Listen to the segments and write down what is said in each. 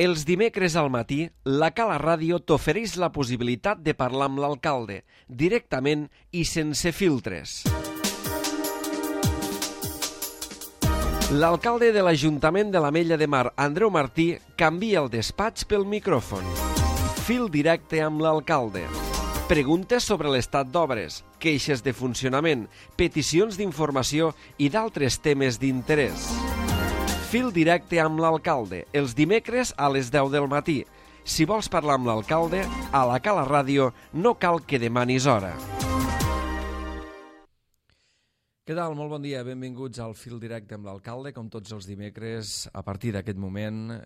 Els dimecres al matí, la Cala Ràdio t'ofereix la possibilitat de parlar amb l'alcalde, directament i sense filtres. L'alcalde de l'Ajuntament de l'Ametlla de Mar, Andreu Martí, canvia el despatx pel micròfon. Fil directe amb l'alcalde. Preguntes sobre l'estat d'obres, queixes de funcionament, peticions d'informació i d'altres temes d'interès. Fil directe amb l'alcalde, els dimecres a les 10 del matí. Si vols parlar amb l'alcalde, a la Cala Ràdio no cal que demanis hora. Què tal? Molt bon dia. Benvinguts al Fil directe amb l'alcalde. Com tots els dimecres, a partir d'aquest moment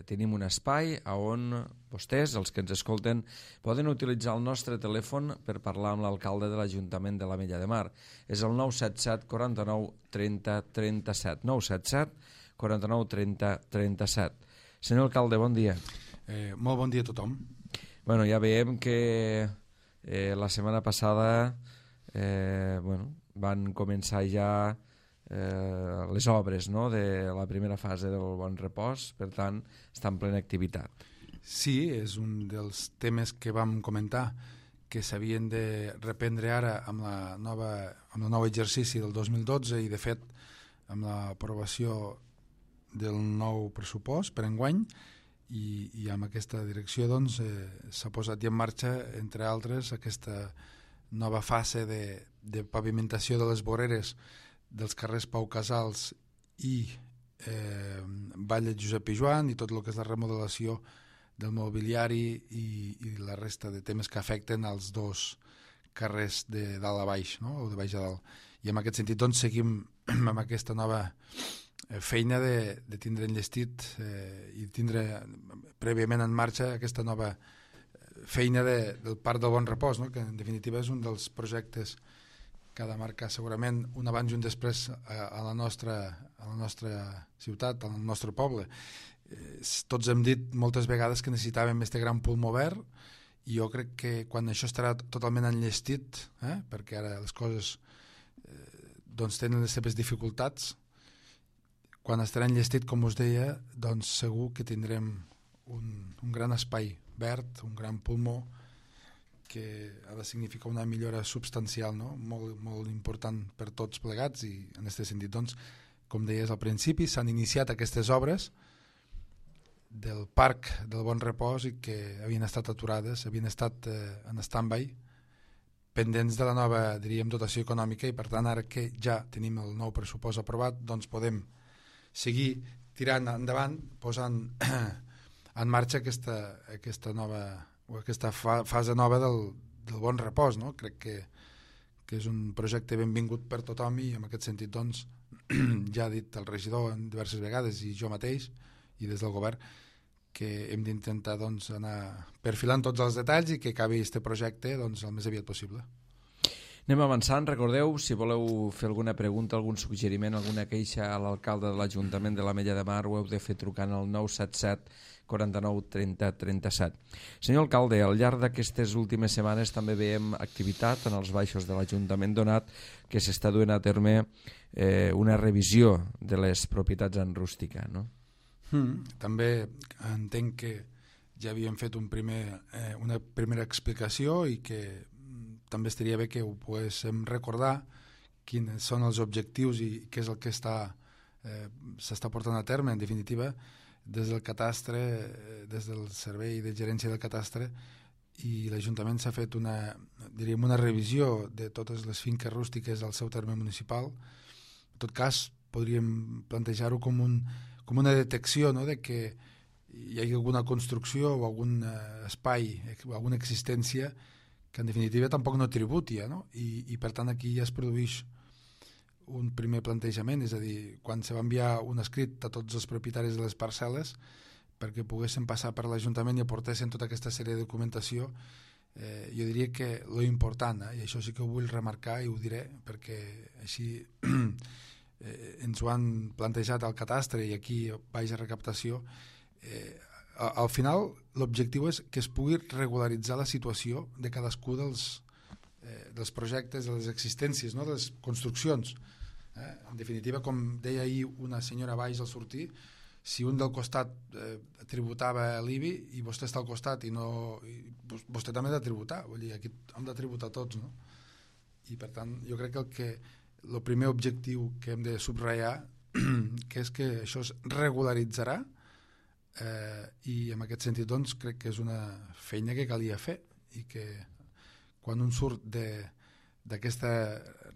tenim un espai on vostès, els que ens escolten, poden utilitzar el nostre telèfon per parlar amb l'alcalde de l'Ajuntament de l'Ametlla de Mar. És el 977 49 30 37. 977 49 30 37. Senyor alcalde, bon dia. Molt bon dia a tothom. Bueno, ja veiem que la setmana passada van començar ja les obres, no?, de la primera fase del Bon Repòs, per tant, està en plena activitat. Sí, és un dels temes que vam comentar que s'havien de reprendre ara amb el nou exercici del 2012 i, de fet, amb l'aprovació del nou pressupost per enguany i amb aquesta direcció doncs, s'ha posat ja en marxa, entre altres, aquesta nova fase de pavimentació de les voreres dels carrers Pau Casals i Vall Josep Pijoan i tot el que és la remodelació del mobiliari i la resta de temes que afecten els dos carrers de dalt a baix, no?, o de baix a dalt. I en aquest sentit doncs, seguim amb aquesta nova feina de tindre enllestit i tindre prèviament en marxa aquesta nova feina del Parc del Bon Repòs, no?, que en definitiva és un dels projectes que ha de marcar segurament un abans i un després a la nostra ciutat, al nostre poble. Tots hem dit moltes vegades que necessitàvem este gran pulmó verd i jo crec que quan això estarà totalment enllestit, perquè ara les coses doncs tenen les seves dificultats, quan estarà enllestit, com us deia, doncs segur que tindrem un gran espai verd, un gran pulmó que ha de significar una millora substancial, no?, molt, molt important per tots plegats i en aquest sentit, doncs, com deies al principi, s'han iniciat aquestes obres del Parc del Bon Repòs i que havien estat aturades, havien estat en stand-by, pendents de la nova, diríem, dotació econòmica i per tant ara que ja tenim el nou pressupost aprovat, doncs podem seguir tirant endavant, posant en marxa aquesta nova o aquesta fase nova del Bon Repòs, no? Crec que és un projecte benvingut per tothom i en aquest sentit doncs, ja ha dit el regidor en diverses vegades i jo mateix i des del govern que hem d'intentar doncs, anar perfilant tots els detalls i que acabi aquest projecte doncs, el més aviat possible. Anem avançant. Recordeu, si voleu fer alguna pregunta, algun suggeriment, alguna queixa a l'alcalde de l'Ajuntament de l'Ametlla de Mar, ho heu de fer trucant al 977 49 30 37. Senyor alcalde, al llarg d'aquestes últimes setmanes també veiem activitat en els baixos de l'Ajuntament, donat que s'està duent a terme una revisió de les propietats en rústica, no? També entenc que ja havíem fet una primera explicació i que també estaria bé que ho poguéssim recordar quins són els objectius i què és el que s'està portant a terme, en definitiva, des del catastre, des del servei de gerència del catastre, i l'Ajuntament s'ha fet una revisió de totes les finques rústiques al seu terme municipal. En tot cas, podríem plantejar-ho com una detecció, no?, de que hi hagi alguna construcció o algun espai, alguna existència que en definitiva tampoc no tributi, no? I per tant aquí ja es produeix un primer plantejament, és a dir, quan se va enviar un escrit a tots els propietaris de les parcel·les perquè poguessin passar per l'Ajuntament i aportessin tota aquesta sèrie de documentació, jo diria que lo important, i això sí que ho vull remarcar i ho diré perquè així ens ho han plantejat al catastre i aquí baix a recaptació, al final l'objectiu és que es pugui regularitzar la situació de cadascú dels projectes, de les existències, no?, de les construccions. En definitiva, com deia ahir una senyora baix al sortir, si un del costat tributava l'IBI i vostè està al costat i vostè també ha de tributar, vull dir, aquí hem de tributar tots, no? I per tant jo crec que el primer objectiu que hem de subratllar que és que això es regularitzarà i en aquest sentit doncs crec que és una feina que calia fer i que quan un surt d'aquesta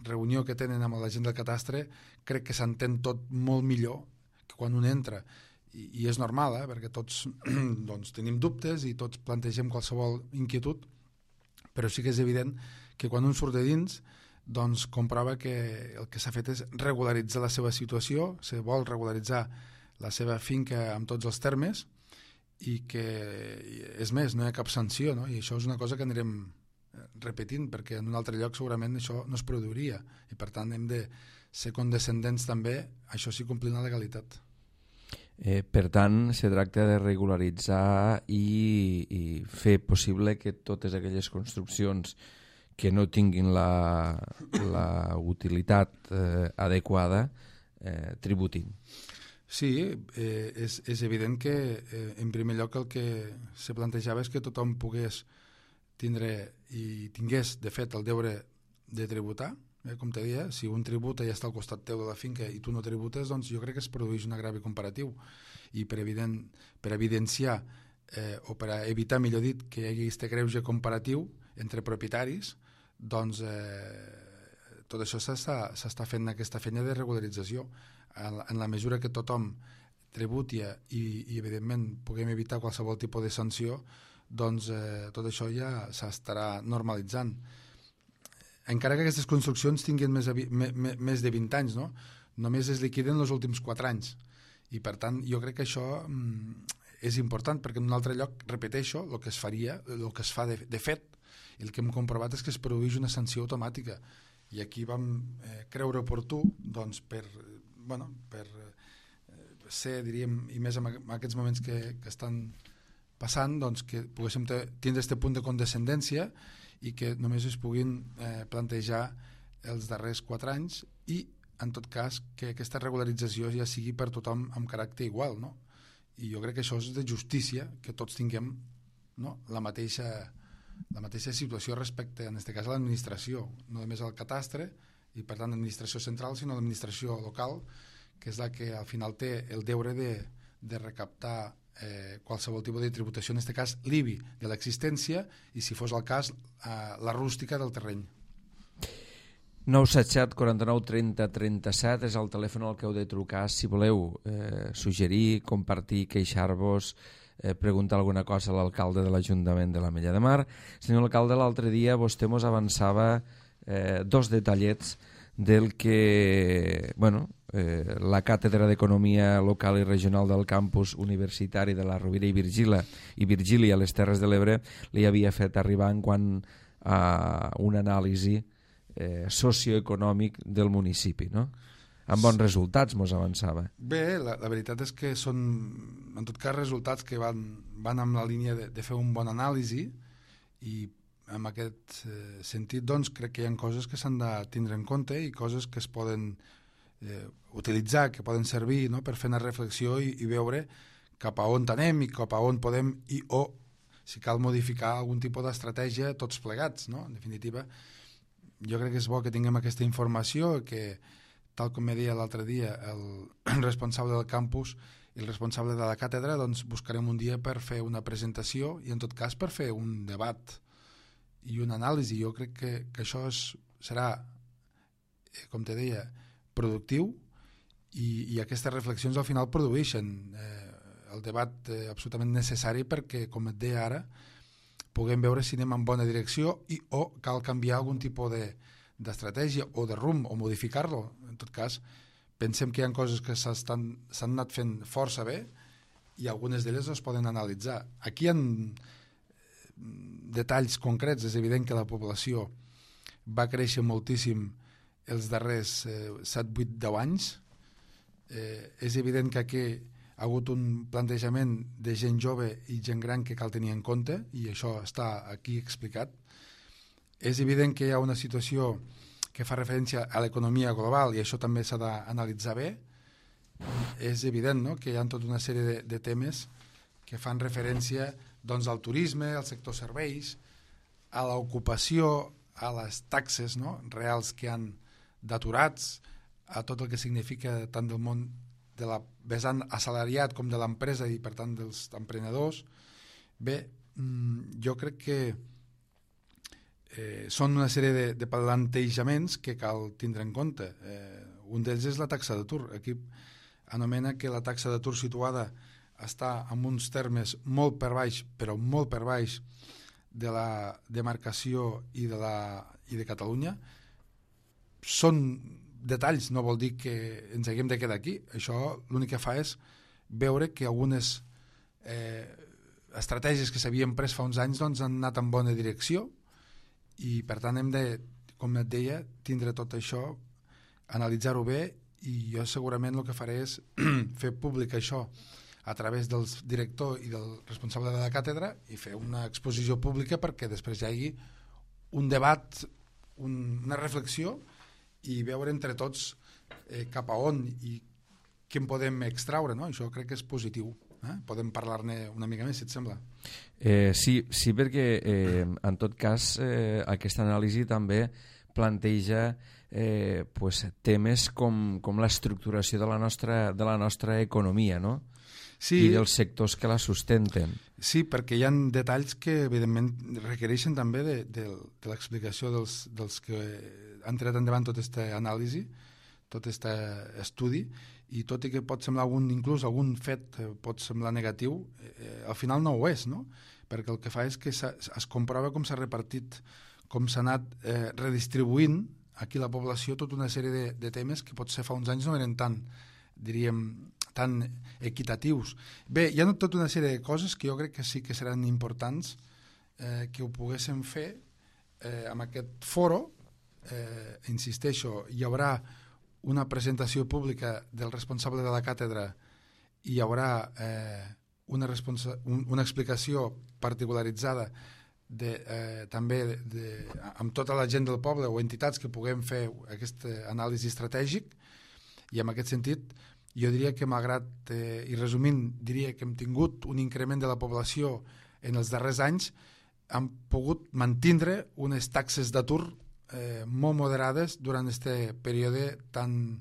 reunió que tenen amb la gent del catastre crec que s'entén tot molt millor que quan un entra i és normal, perquè tots doncs, tenim dubtes i tots plantegem qualsevol inquietud, però sí que és evident que quan un surt de dins doncs comprova que el que s'ha fet és regularitzar la seva situació, se vol regularitzar la seva finca amb tots els termes i que, és més, no hi ha cap sanció, no? I això és una cosa que anirem repetint perquè en un altre lloc segurament això no es produiria i per tant hem de ser condescendents també, això sí, complint la legalitat. Per tant, se tracta de regularitzar i fer possible que totes aquelles construccions que no tinguin la utilitat adequada tributin. Sí, és evident que en primer lloc el que se plantejava és que tothom pogués tindre i tingués de fet el deure de tributar, com te deia, si un tributa i està al costat teu de la finca i tu no tributes, doncs jo crec que es produeix un agrevi comparatiu i per evidenciar o per evitar, millor dit, que hi hagi aquest greuge comparatiu entre propietaris, doncs tot això s'està fent aquesta feina de regularització en la mesura que tothom tributi i evidentment puguem evitar qualsevol tipus de sanció, doncs tot això ja s'estarà normalitzant. Encara que aquestes construccions tinguin més de 20 anys, no? Només es liquiden els últims 4 anys i per tant jo crec que això és important perquè en un altre lloc, repeteixo, el que es faria, el que es fa de fet, el que hem comprovat és que es produeix una sanció automàtica i aquí vam creure oportú doncs, per ser, diríem, i més en aquests moments que estan passant, doncs, que poguéssim tindre aquest punt de condescendència i que només es puguin plantejar els darrers 4 anys i, en tot cas, que aquesta regularització ja sigui per tothom amb caràcter igual, no? I jo crec que això és de justícia, que tots tinguem, no, la mateixa situació respecte, en aquest cas, a l'administració, no només al catastre, i per tant l'administració central, sinó l'administració local, que és la que al final té el deure de recaptar qualsevol tipus de tributació, en aquest cas l'IBI de l'existència i, si fos el cas, la rústica del terreny. 977 49 30 37 és el telèfon al que heu de trucar si voleu suggerir, compartir, queixar-vos, preguntar alguna cosa a l'alcalde de l'Ajuntament de l'Ametlla de Mar. Senyor alcalde, l'altre dia vostè mos avançava 2 detallets del que la Càtedra d'Economia Local i Regional del Campus Universitari de la Rovira i Virgília a les Terres de l'Ebre li havia fet arribar en quant a una anàlisi socioeconòmic del municipi, no? Amb bons resultats mos avançava. Bé, la veritat és que són en tot cas resultats que van amb la línia de fer un bon anàlisi i en aquest sentit doncs crec que hi ha coses que s'han de tindre en compte i coses que es poden utilitzar, que poden servir, no?, per fer una reflexió i veure cap a on anem i cap a on podem o si cal modificar algun tipus d'estratègia tots plegats, no? En definitiva, jo crec que és bo que tinguem aquesta informació, que tal com me deia l'altre dia el responsable del campus i el responsable de la càtedra, doncs buscarem un dia per fer una presentació i en tot cas per fer un debat i una anàlisi. Jo crec que això serà, com te deia, productiu i aquestes reflexions al final produeixen el debat absolutament necessari perquè, com et deia ara, puguem veure si anem en bona direcció o cal canviar algun tipus d'estratègia o de rumb o modificar-lo. En tot cas, pensem que hi ha coses que s'han anat fent força bé i algunes d'elles es poden analitzar. Aquí hi ha detalls concrets. És evident que la població va créixer moltíssim els darrers 7, 8, 10 anys. És evident que aquí ha hagut un plantejament de gent jove i gent gran que cal tenir en compte i això està aquí explicat. És evident que hi ha una situació que fa referència a l'economia global i això també s'ha d'analitzar bé. És evident, no?, que hi ha tota una sèrie de temes que que fan referència doncs, al turisme, al sector serveis, a l'ocupació, a les taxes, no?, reals que han d'aturats, a tot el que significa tant del món de la vessant assalariat com de l'empresa i per tant dels emprenedors. Bé, jo crec que són una sèrie de plantejaments que cal tindre en compte. Un d'ells és la taxa d'atur. Aquí anomena que la taxa d'atur situada està en uns termes molt per baix, però molt per baix de la demarcació i de Catalunya. Són detalls, no vol dir que ens haguem de quedar aquí. Això l'únic que fa és veure que algunes estratègies que s'havien pres fa uns anys doncs, han anat en bona direcció i per tant hem de, com et deia, tindre tot això, analitzar-ho bé, i jo segurament el que faré és fer públic això a través del director i del responsable de la càtedra i fer una exposició pública perquè després hi hagi un debat, una reflexió i veure entre tots cap a on i què en podem extraure, no? Això crec que és positiu. Podem parlar-ne una mica més, si et sembla. Sí, perquè en tot cas aquesta anàlisi també planteja temes com l'estructuració de la nostra economia, no? Sí. I dels sectors que la sustenten. Sí, perquè hi ha detalls que evidentment requereixen també de l'explicació dels que han tirat endavant tota aquesta anàlisi, tot aquest estudi, i tot i que pot semblar inclús algun fet pot semblar negatiu, al final no ho és, no? Perquè el que fa és que es comprova com s'ha repartit, com s'ha anat redistribuint aquí la població tota una sèrie de temes que potser fa uns anys no eren tan, diríem, tan equitatius. Bé, hi ha tota una sèrie de coses que jo crec que sí que seran importants que ho poguéssim fer amb aquest foro. Insisteixo, hi haurà una presentació pública del responsable de la càtedra i hi haurà una explicació particularitzada també amb tota la gent del poble o entitats que puguem fer aquest anàlisi estratègic, i en aquest sentit jo diria que malgrat, i resumint, diria que hem tingut un increment de la població en els darrers anys, han pogut mantindre unes taxes d'atur molt moderades durant aquest període tan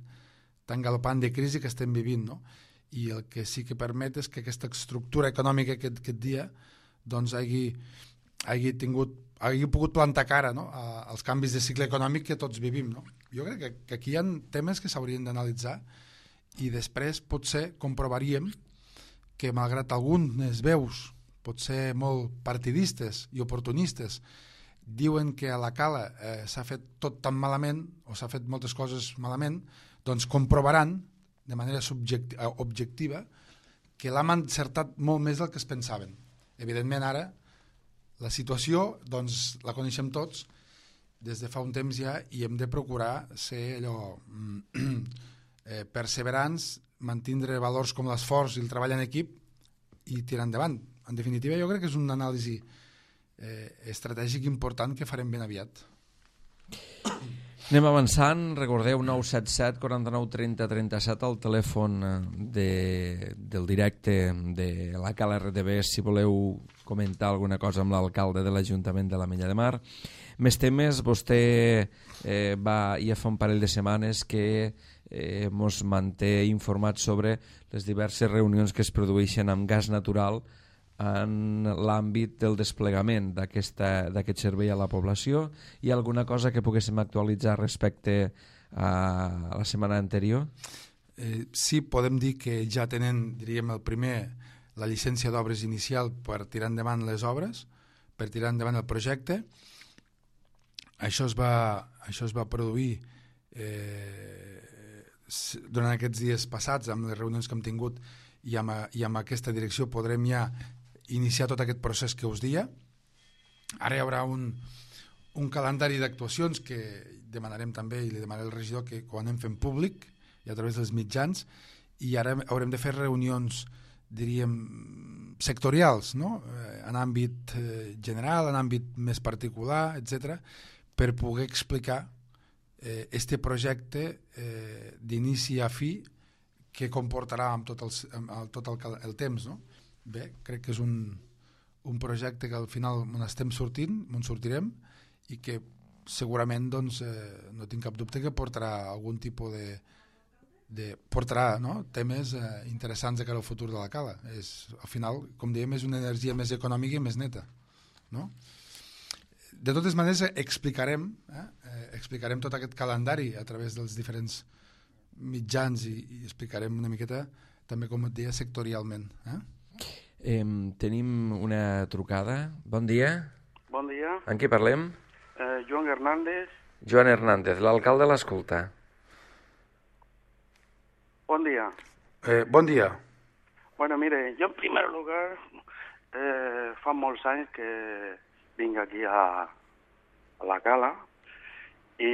galopant de crisi que estem vivint, no? I el que sí que permet és que aquesta estructura econòmica aquest dia doncs hagi pogut plantar cara, no?, als canvis de cicle econòmic que tots vivim, no? Jo crec que aquí hi ha temes que s'haurien d'analitzar i després potser comprovaríem que malgrat algunes veus potser molt partidistes i oportunistes diuen que a la Cala s'ha fet tot tan malament o s'ha fet moltes coses malament, doncs comprovaran de manera objectiva que l'hem encertat molt més del que es pensaven. Evidentment ara la situació doncs, la coneixem tots des de fa un temps ja i hem de procurar ser allò perseverants, mantindre valors com l'esforç i el treball en equip i tirar endavant. En definitiva, jo crec que és una anàlisi estratègic important que farem ben aviat. Anem avançant. Recordeu 977 49 30 37 el telèfon del directe de la Cala RTV si voleu comentar alguna cosa amb l'alcalde de l'Ajuntament de l'Ametlla de Mar. Més temes, vostè va ja fa un parell de setmanes que ens manté informats sobre les diverses reunions que es produeixen amb gas natural en l'àmbit del desplegament d'aquest servei a la població. Hi ha alguna cosa que poguéssim actualitzar respecte a la setmana anterior? Sí, podem dir que ja tenen, diríem, la llicència d'obres inicial per tirar endavant les obres, per tirar endavant el projecte. Això es va produir durant aquests dies passats, amb les reunions que hem tingut i amb aquesta direcció podrem ja iniciar tot aquest procés que us deia. Ara hi haurà un calendari d'actuacions que demanarem també i li demanaré al regidor que quan anem fent públic i a través dels mitjans, i ara haurem de fer reunions, diríem, sectorials, no? En àmbit general, en àmbit més particular, etc., per poder explicar este projecte d'inici a fi que comportarà amb tot el temps, no? bé, crec que és un projecte que al final on estem sortint, on sortirem, i que segurament doncs, no tinc cap dubte que portarà algun tipus portarà, no? Temes interessants de cara al futur de la cala. Al final, com dèiem, és una energia més econòmica i més neta, no? De totes maneres, explicarem tot aquest calendari a través dels diferents mitjans i explicarem una miqueta també, com et deia, sectorialment. Tenim una trucada. Bon dia. Bon dia. En què parlem? Joan Hernández. Joan Hernández, l'alcalde l'escolta. Bon dia. Bon dia. Bueno, mire, yo en primer lugar fa molts anys que vinc aquí a la cala i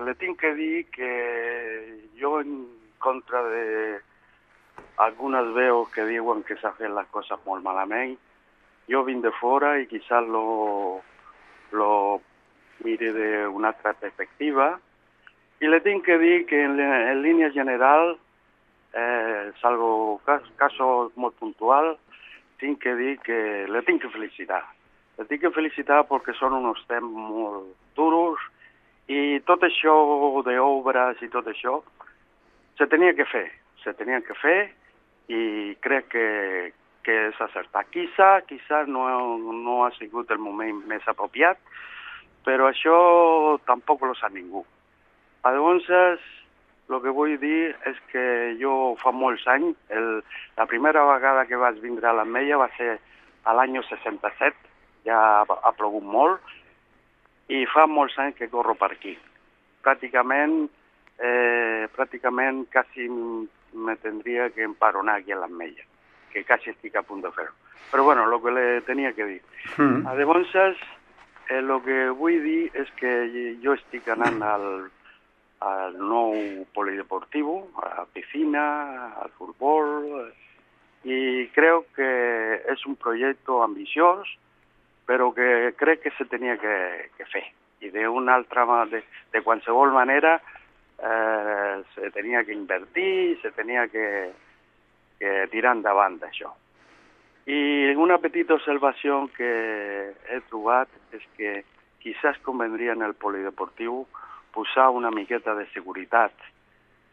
le tinc que dir que jo en contra de algunes veus que diuen que s'ha fet les coses molt malament, jo vinc de fora i quizás lo mire de una altra perspectiva y le tengo que decir que en línea general es algo caso muy puntual, tengo que decir que le tengo que felicitar. Le tinc que felicitar perquè són uns temps molt duros i tot això d'obres i tot això se tenia que fer i crec que és acertat. Quizá no ha sigut el moment més apropiat, però això tampoc lo sap ningú. Llavors, el que vull dir és que jo fa molts anys, la primera vegada que vaig vindre a l'Ametlla va ser a l'any 67, ja ha plogut molt, i fa molts anys que corro per aquí. Pràcticament quasi me tendría que emparonar aquí a l'Ametlla, que quasi estic a punt de fer-ho. Però bueno, el que le tenia que dir. Llavors, el que vull dir és que jo estic anant al nou polideportiu, a la piscina, al futbol, i crec que és un projecte ambiciós, però que crec que se tenia que fer. I de qualsevol manera se tenia que invertir, se tenia que tirar endavant d'això. I una petita observació que he trobat és que quizás convendria en el polideportiu posar una miqueta de seguretat,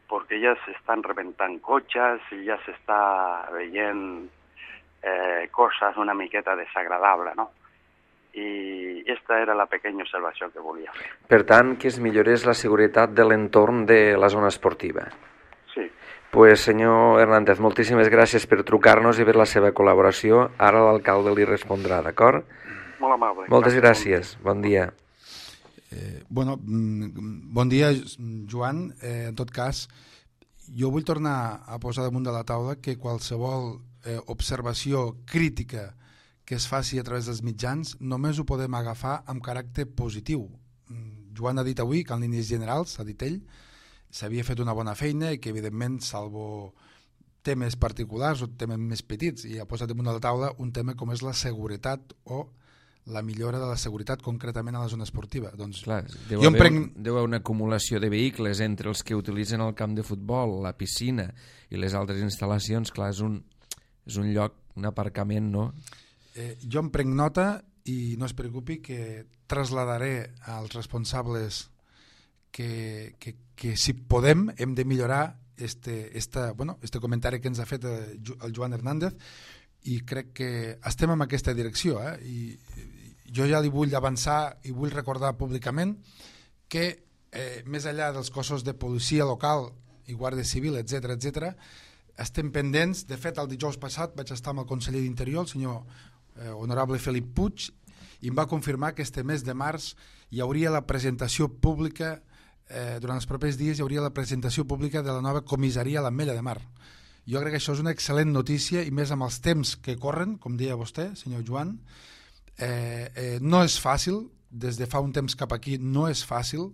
perquè ja s'estan rebentant cotxes i ja s'està veient coses una miqueta desagradables, no? I aquesta era la pequeña observació que volia fer. Per tant, que es millorés la seguretat de l'entorn de la zona esportiva. Sí. Pues, senyor Hernández, moltíssimes gràcies per trucar-nos i per la seva col·laboració. Ara l'alcalde li respondrà, d'acord? Molt amable. Moltes gràcies. Bon dia. Bon dia, Joan. En tot cas, jo vull tornar a posar damunt de la taula que qualsevol observació crítica que es faci a través dels mitjans només ho podem agafar amb caràcter positiu. Joan ha dit avui que en línies generals, ha dit ell, s'havia fet una bona feina i que evidentment, salvo temes particulars o temes més petits, i ha posat damunt de la taula un tema com és la seguretat o la millora de la seguretat concretament a la zona esportiva. Doncs, clar, deu haver una acumulació de vehicles entre els que utilitzen el camp de futbol, la piscina i les altres instal·lacions. Clar, és un lloc, un aparcament, no? Jo em prenc nota i no es preocupi que trasladaré als responsables que si podem hem de millorar este comentari que ens ha fet el Joan Hernández, i crec que estem en aquesta direcció, i jo ja li vull avançar i vull recordar públicament que més enllà dels cossos de policia local i guàrdia civil, etc, estem pendents. De fet, el dijous passat vaig estar amb el conseller d'Interior, el senyor honorable Felip Puig, i em va confirmar que este mes de març hi hauria la presentació pública, durant els propers dies hi hauria la presentació pública de la nova comissaria a l'Ametlla de Mar. Jo crec que això és una excel·lent notícia, i més amb els temps que corren, com deia vostè, senyor Joan. No és fàcil, des de fa un temps cap aquí no és fàcil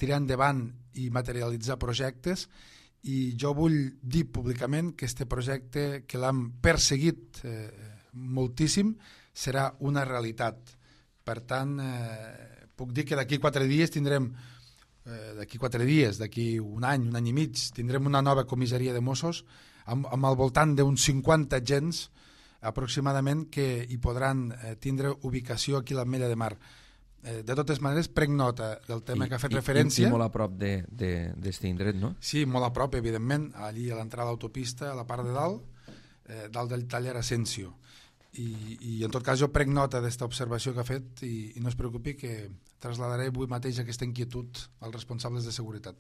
tirar endavant i materialitzar projectes, i jo vull dir públicament que este projecte, que l'hem perseguit moltíssim, serà una realitat. Per tant, puc dir que d'aquí 4 dies tindrem, d'aquí un any i mig, tindrem una nova comissaria de Mossos amb al voltant d'uns 50 agents aproximadament que hi podran tindre ubicació aquí a l'Ametlla de Mar. De totes maneres, prenc nota del tema que ha fet referència. I molt a prop d'este indret, no? Sí, molt a prop, evidentment, allí a l'entrada de l'autopista, a la part de dalt, dalt del taller Asensio. I en tot cas jo prenc nota d'esta observació que ha fet i no es preocupi que trasladaré avui mateix aquesta inquietud als responsables de seguretat.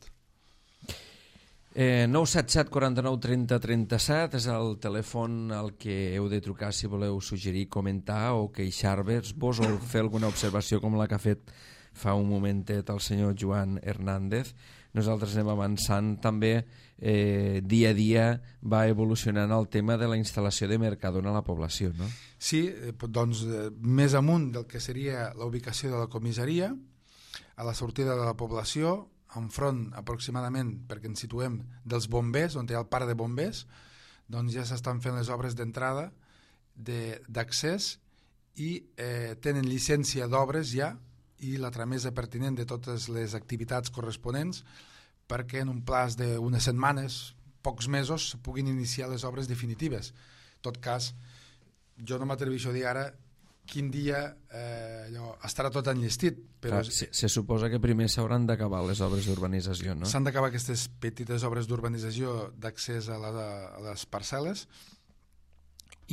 977 49 30 37 és el telèfon al que heu de trucar si voleu suggerir, comentar o queixar-vos o fer alguna observació com la que ha fet fa un momentet el senyor Joan Hernández. Nosaltres anem avançant també, dia a dia va evolucionant el tema de la instal·lació de Mercadona a la població, no? Sí, doncs més amunt del que seria la ubicació de la comissaria, a la sortida de la població, enfront aproximadament, perquè ens situem, dels bombers, on hi ha el parc de bombers, doncs ja s'estan fent les obres d'entrada, d'accés, i tenen llicència d'obres ja, i la tramesa pertinent de totes les activitats corresponents, perquè en un plaç d'unes setmanes, pocs mesos, puguin iniciar les obres definitives. En tot cas, jo no m'atreveixo a dir ara quin dia estarà tot enllestit. Però se suposa que primer s'hauran d'acabar les obres d'urbanització, no? S'han d'acabar aquestes petites obres d'urbanització d'accés a les parcel·les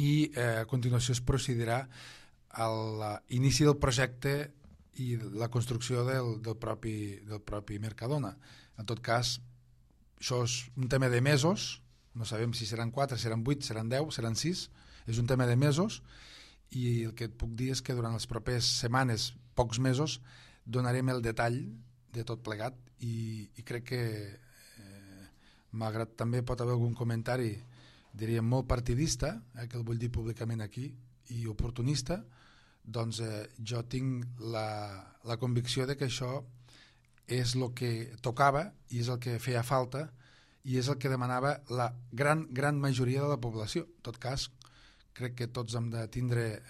i a continuació es procedirà a l'inici del projecte i la construcció del propi Mercadona. En tot cas, això és un tema de mesos, no sabem si seran 4, seran 8, seran 10, seran 6, és un tema de mesos, i el que et puc dir és que durant les properes setmanes, pocs mesos, donarem el detall de tot plegat i crec que malgrat també pot haver algun comentari, diríem molt partidista, que el vull dir públicament aquí, i oportunista, doncs jo tinc la convicció de que això és el que tocava i és el que feia falta i és el que demanava la gran majoria de la població. En tot cas, crec que tots hem de tindre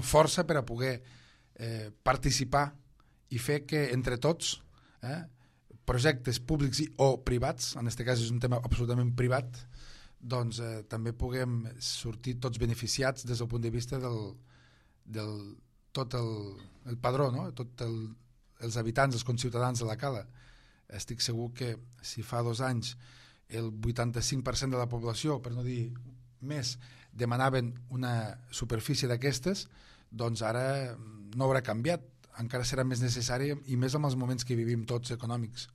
força per a poder participar i fer que entre tots projectes públics o privats, en aquest cas és un tema absolutament privat, doncs també puguem sortir tots beneficiats des del punt de vista del tot el padró, no? Tots els habitants, els conciutadans de la Cala. Estic segur que si fa 2 anys el 85% de la població, per no dir més, demanaven una superfície d'aquestes, doncs ara no haurà canviat, encara serà més necessari i més amb els moments que vivim tots econòmics.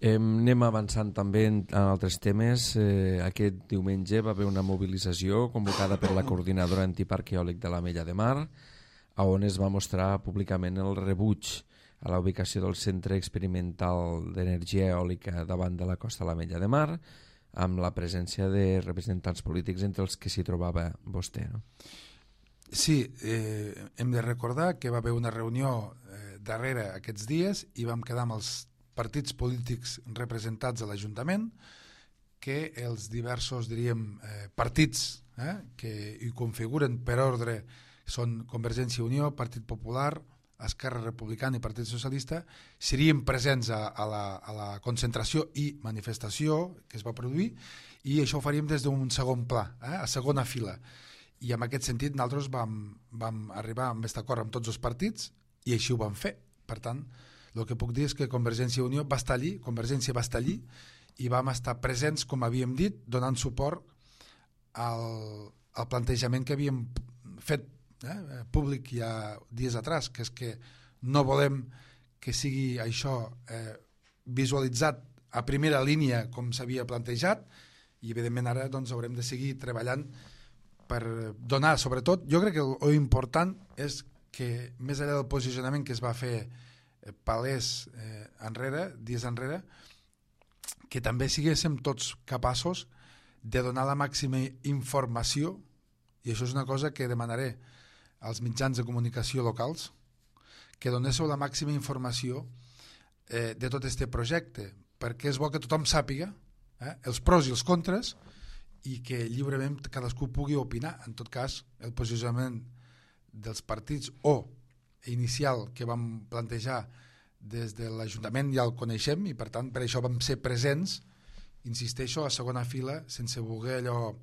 Anem avançant també en altres temes. Aquest diumenge va haver una mobilització convocada per la coordinadora antiparc eòlic de l'Ametlla de Mar, on es va mostrar públicament el rebuig a la ubicació del Centre Experimental d'Energia Eòlica davant de la costa de l'Ametlla de Mar, amb la presència de representants polítics entre els que s'hi trobava vostè, no? Sí, hem de recordar que va haver una reunió darrere aquests dies i vam quedar amb els partits polítics representats a l'Ajuntament, que els diversos, diríem, partits que hi configuren per ordre són Convergència i Unió, Partit Popular, Esquerra Republicana i Partit Socialista, serien presents a la concentració i manifestació que es va produir, i això ho faríem des d'un segon pla, a segona fila. I en aquest sentit nosaltres vam arribar amb aquest acord amb tots els partits i així ho vam fer. Per tant, el que puc dir és que Convergència i Unió va estar allí, Convergència va estar allí i vam estar presents, com havíem dit, donant suport al plantejament que havíem fet públic ja dies atrás, que és que no volem que sigui això visualitzat a primera línia com s'havia plantejat, i evidentment ara doncs haurem de seguir treballant per donar, sobretot, jo crec que el important és que més enllà del posicionament que es va fer palès dies enrere, que també siguéssim tots capaços de donar la màxima informació, i això és una cosa que demanaré als mitjans de comunicació locals, que donéssiu la màxima informació de tot aquest projecte, perquè és bo que tothom sàpiga els pros i els contres i que lliurement cadascú pugui opinar. En tot cas, el posicionament dels partits o inicial que vam plantejar des de l'Ajuntament ja el coneixem i per tant per això vam ser presents, insisteixo, a segona fila, sense voler allò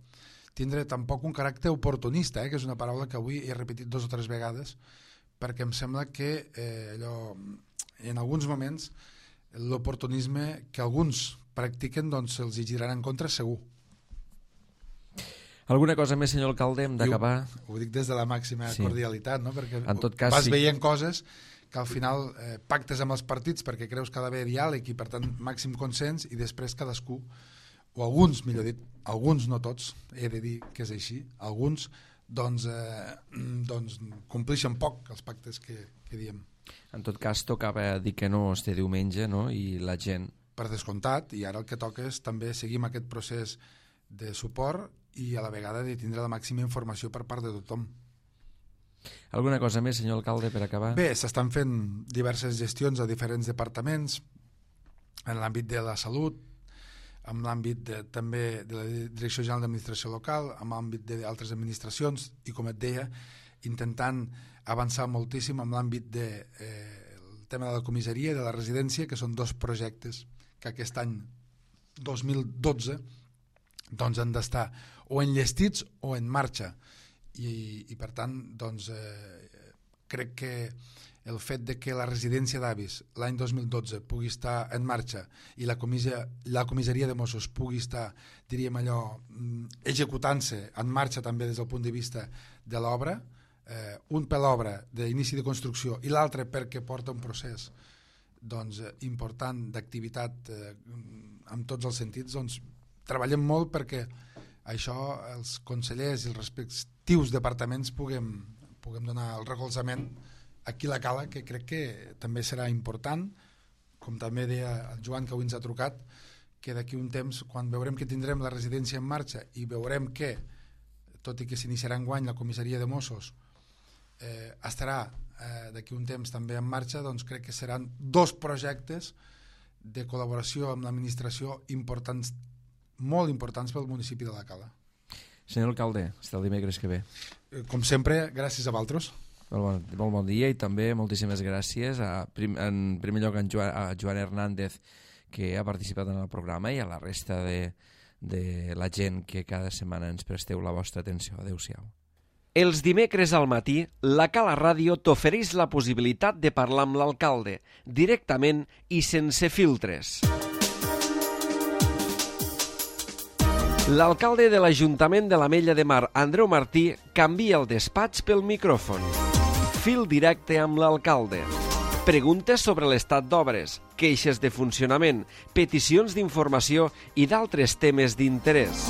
tindre tampoc un caràcter oportunista, que és una paraula que avui he repetit 2 o 3 vegades, perquè em sembla que en alguns moments l'oportunisme que alguns practiquen doncs se'ls girarà en contra segur. Alguna cosa més, senyor alcalde, hem d'acabar? Ho dic des de la màxima cordialitat, no? Perquè en tot cas, vas veient coses que al final pactes amb els partits perquè creus que ha d'haver diàleg i per tant màxim consens, i després cadascú, o alguns, millor dit, alguns, no tots, he de dir que és així, alguns doncs compleixen poc els pactes que diem. En tot cas, tocava dir que no este diumenge, no? I la gent... Per descomptat, i ara el que toca és també seguir amb aquest procés de suport i a la vegada de tindre la màxima informació per part de tothom. Alguna cosa més, senyor alcalde, per acabar? Bé, s'estan fent diverses gestions a diferents departaments, en l'àmbit de la salut, en l'àmbit també de la Direcció General d'Administració Local, en l'àmbit d'altres administracions, i com et deia, intentant avançar moltíssim en l'àmbit del tema de la comissaria i de la residència, que són 2 projectes que aquest any 2012 doncs han d'estar o enllestits o en marxa, i per tant doncs crec que el fet de que la residència d'avis l'any 2012 pugui estar en marxa i la comissaria de Mossos pugui estar, diríem allò, executant-se en marxa també des del punt de vista de l'obra, un per l'obra d'inici de construcció i l'altre perquè porta un procés doncs, important d'activitat en tots els sentits, doncs treballem molt perquè això els consellers i els respectius departaments puguem donar el recolzament aquí a la Cala, que crec que també serà important, com també deia el Joan, que avui ens ha trucat, que d'aquí un temps, quan veurem que tindrem la residència en marxa i veurem que, tot i que s'iniciarà enguany la comissaria de Mossos, estarà d'aquí un temps també en marxa, doncs crec que seran 2 projectes de col·laboració amb l'administració importants, molt importants pel municipi de la Cala. Senyor alcalde, fins el dimecres que ve. Com sempre, gràcies a vosaltres. Molt bon dia, i també moltíssimes gràcies en primer lloc a Joan Hernández, que ha participat en el programa, i a la resta de la gent que cada setmana ens presteu la vostra atenció. Adéu-siau. Els dimecres al matí, la Cala Ràdio t'ofereix la possibilitat de parlar amb l'alcalde, directament i sense filtres. L'alcalde de l'Ajuntament de l'Ametlla de Mar, Andreu Martí, canvia el despatx pel micròfon. Fil directe amb l'alcalde. Preguntes sobre l'estat d'obres, queixes de funcionament, peticions d'informació i d'altres temes d'interès.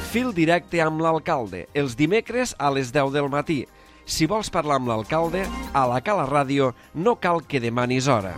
Fil directe amb l'alcalde, els dimecres a les 10 del matí. Si vols parlar amb l'alcalde, a la Cala Ràdio no cal que demanis hora.